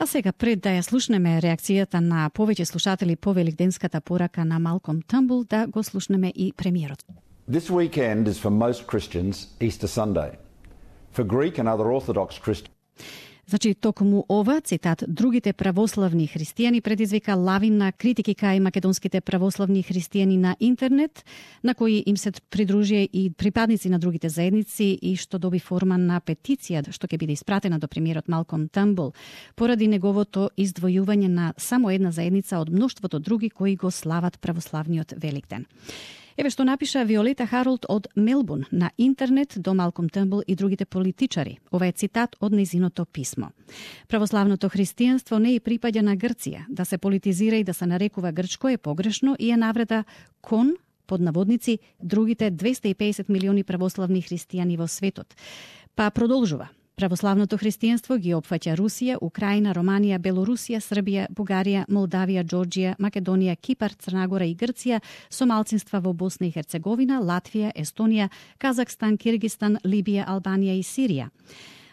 А сега, пред да ја слушнеме реакцијата на повеќе слушатели по великденската порака на Малком Търнбул, да го слушнеме и премиерот. This weekend is for most Christians Easter Sunday. For Greek and other Orthodox Christians. Значи, токму ова, цитат, другите православни христијани предизвика лавина критики кај македонските православни христијани на интернет, на кои им се придружија и припадници на другите заедници и што доби форма на петиција, што ќе биде испратена до премиерот Малком Търнбул, поради неговото издвојување на само една заедница од мноштвото други кои го слават православниот Великден. Еве што напиша Виолета Харолд од Мелбурн на интернет до Малком Търнбул и другите политичари. Ова е цитат од нејзиното писмо. Православното христијанство не и припаѓа на Грција. Да се политизира и да се нарекува грчко е погрешно и е навреда кон, под наводници, другите 250 милиони православни христијани во светот. Па продолжува. Православното христијанство ги опфаќа Русија, Украина, Романија, Белорусија, Србија, Бугарија, Молдавија, Џорџија, Македонија, Кипар, Црнагора и Грција, со малцинства во Босна и Херцеговина, Латвија, Естонија, Казахстан, Киргистан, Либија, Албанија и Сирија.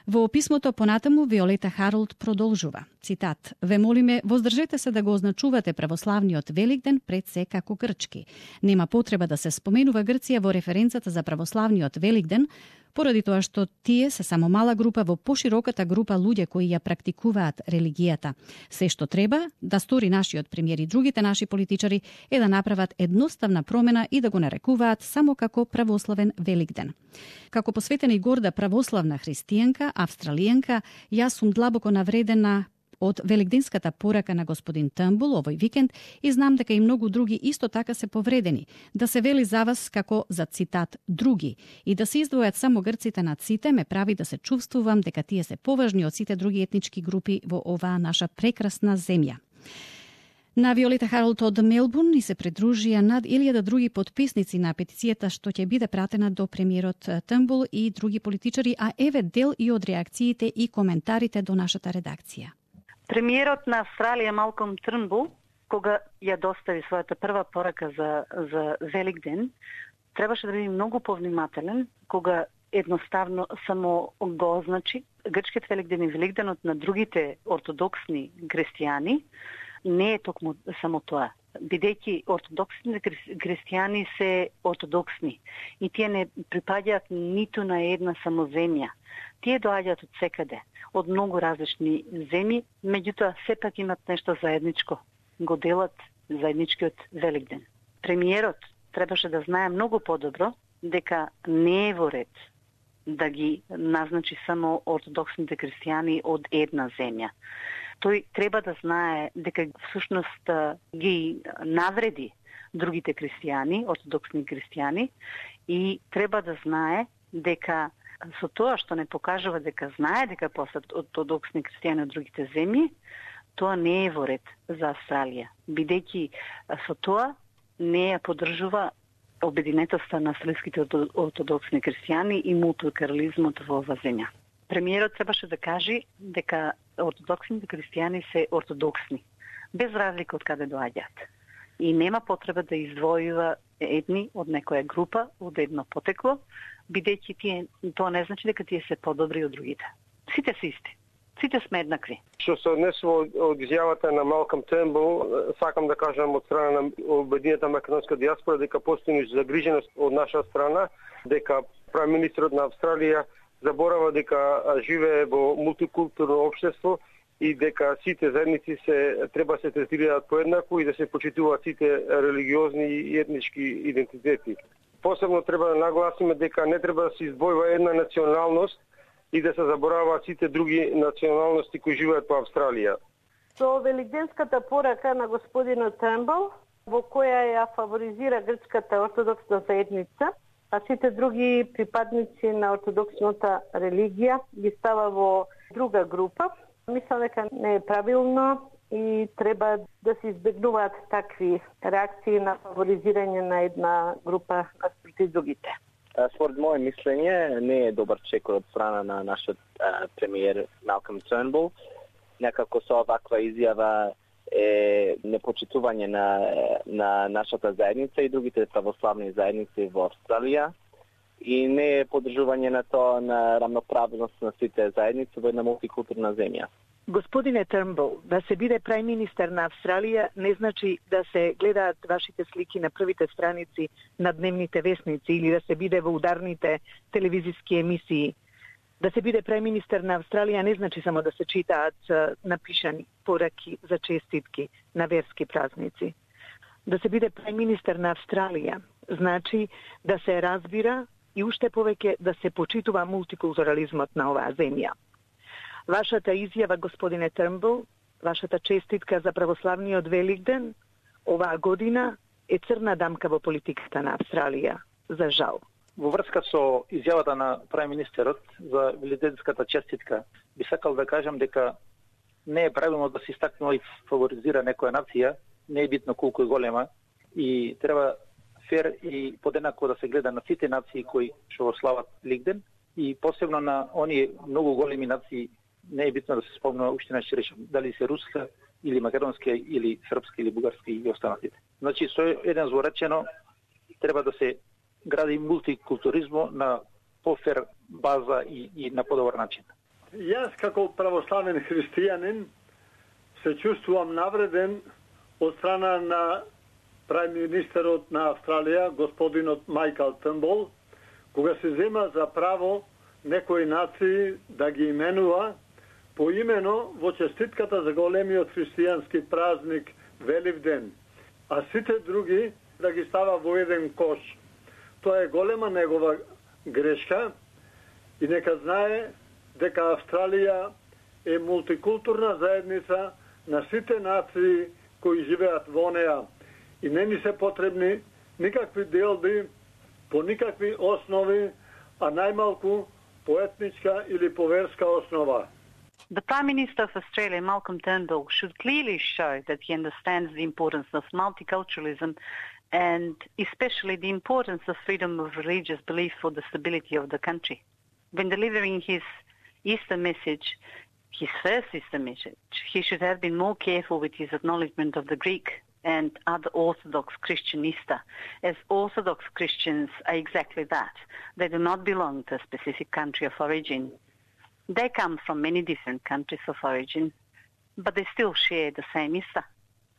Во писмото понатаму Виолета Харолд продолжува. Цитат: "Ве молиме, воздржете се да го означувате православниот Великден пред се како грчки. Нема потреба да се споменува Грција во референцата за православниот Великден, поради тоа што тие се само мала група во пошироката група луѓе кои ја практикуваат религијата. Се што треба да стори нашиот премиер и другите наши политичари е да направат едноставна промена и да го нарекуваат само како православен Великден. Како посветена и горда православна христијанка, австралијанка, јас сум длабоко навредена од великденската порака на господин Търнбул овој викенд и знам дека и многу други исто така се повредени. Да се вели за вас како за цитат други и да се издвојат само грците над сите ме прави да се чувствувам дека тие се поважни од сите други етнички групи во оваа наша прекрасна земја." На Виолета Харолд од Мелбурн ни се придружија над 1000 други потписници на петицијата што ќе биде пратена до премиерот Търнбул и други политичари, а еве дел и од реакциите и коментарите до нашата редакција. Премиерот на Австралија Малком Търнбул, кога ја достави својата прва порака за Великден, требаше да биде многу повнимателен кога едноставно само го означи грчкиот Великден и Великденот на другите ортодоксни христијани. Не е токму само тоа. Бидејќи ортодоксните христијани се ортодоксни и тие не припаѓаат ниту на една само земја. Тие доаѓаат од секаде, од многу различни земји, меѓутоа сепак имат нешто заедничко. Го делат заедничкиот Великден. Премиерот требаше да знае многу подобро дека не е во ред да ги назначи само ортодоксните христијани од една земја. Тој треба да знае дека всушност ги навреди другите христијани, ортодоксни христијани, и треба да знае дека со тоа што не покажува дека знае дека посат ортодоксни христијани од другите земји, тоа не е во ред за Австралија, бидејќи со тоа не ја поддржува обединетоста на австралиските ортодоксни христијани и мултикултурализмот во оваа земја. Премиерот требаше да каже дека ортодоксните христијани се ортодоксни, без разлика од каде доаѓаат. И нема потреба да издвојува едни од некоја група, од едно потекло, бидејќи тоа не значи дека тие се подобри од другите. Сите се исти. Сите сме еднакви. Што се однесува од изјавата на Малком Търнбул, сакам да кажам од страна на обединета македонска диаспора дека постои загриженост од наша страна, дека премиерот на Австралија заборава дека живее во мултикултурно општество и дека сите заедници треба се третираат поеднакво и да се почитуваат сите религиозни и етнички идентитети. Посебно треба да нагласиме дека не треба да се издвојува една националност и да се забораваат сите други националности кои живеат по Австралија. Со великденската порака на господинот Търнбул, во која ја фаворизира грчката ортодоксна заедница, а сите други припадници на ортодоксната религија ги става во друга група. Мислам дека не е правилно и треба да се избегнуваат такви реакции на фаворизирање на една група наспроти другите. Според моје мислење, не е добар чек од страна на нашиот премиер Малком Търнбул. Некако со оваква изјава е непочитување на нашата заедница и другите православни заедници во Австралија и не е поддржување на тоа на рамноправност на сите заедници во една мултикултурна земја. Господине Трнбул, да се биде прајм-министер на Австралија не значи да се гледаат вашите слики на првите страници на дневните весници или да се биде во ударните телевизиски емисии. Да се биде прајм-министер на Австралија не значи само да се читаат напишани пораки за честитки на верски празници. Да се биде прајм-министер на Австралија значи да се разбира и уште повеќе да се почитува мултикултурализмот на оваа земја. Вашата изјава, господине Трнбул, вашата честитка за православниот Великден оваа година е црна дамка во политиката на Австралија, за жал. Во врска со изјавата на прајм-министерот за великденската честитка, би сакал да кажам дека не е правилно да се истакнува и фаворизира некоја нација, не е битно колку е голема и треба фер и подеднакво да се гледа на сите нации кои што го слават Великден и посебно на оние многу големи нации. Не е битно да се спомнува уште не ќе речем дали се руска или македонска или српска или бугарска и останатите. Значи со еден зворечено треба да се гради мултикултуризмо на пофер база и на подобар начин. Јас како православен христијанин се чувствувам навреден од страна на прајм-министерот на Австралија, господинот Майкл Трнбул, кога се зема за право некои нации да ги именува поимено во честитката за големиот христијански празник Великден, а сите други да ги става во еден кош. Тоа е голема негова грешка и нека знае дека Австралија е мултикултурна заедница на сите нации кои живеат во неа и не ни се потребни никакви делби по никакви основи, а најмалку по етничка или по верска основа. The Prime Minister of Australia, Malcolm Turnbull, should clearly show that he understands the importance of multiculturalism and especially the importance of freedom of religious belief for the stability of the country. When delivering his Easter message, his first Easter message, he should have been more careful with his acknowledgement of the Greek and other Orthodox Christian Easter, as Orthodox Christians are exactly that. They do not belong to a specific country of origin. They come from many different countries of origin, but they still share the same Easter.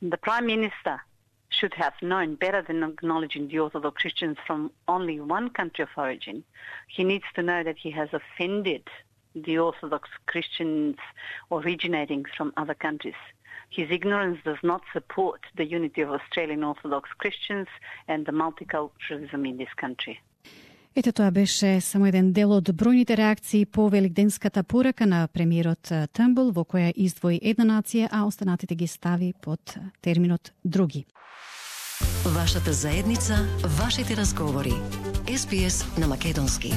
The Prime Minister should have known better than acknowledging the Orthodox Christians from only one country of origin. He needs to know that he has offended the Orthodox Christians originating from other countries. His ignorance does not support the unity of Australian Orthodox Christians and the multiculturalism in this country. Ете, тоа беше само еден дел од бројните реакции по великденската порака на премиерот Трнбул, во која издвои една нација, а останатите ги стави под терминот други. Вашата заедница, вашите разговори. SBS на македонски.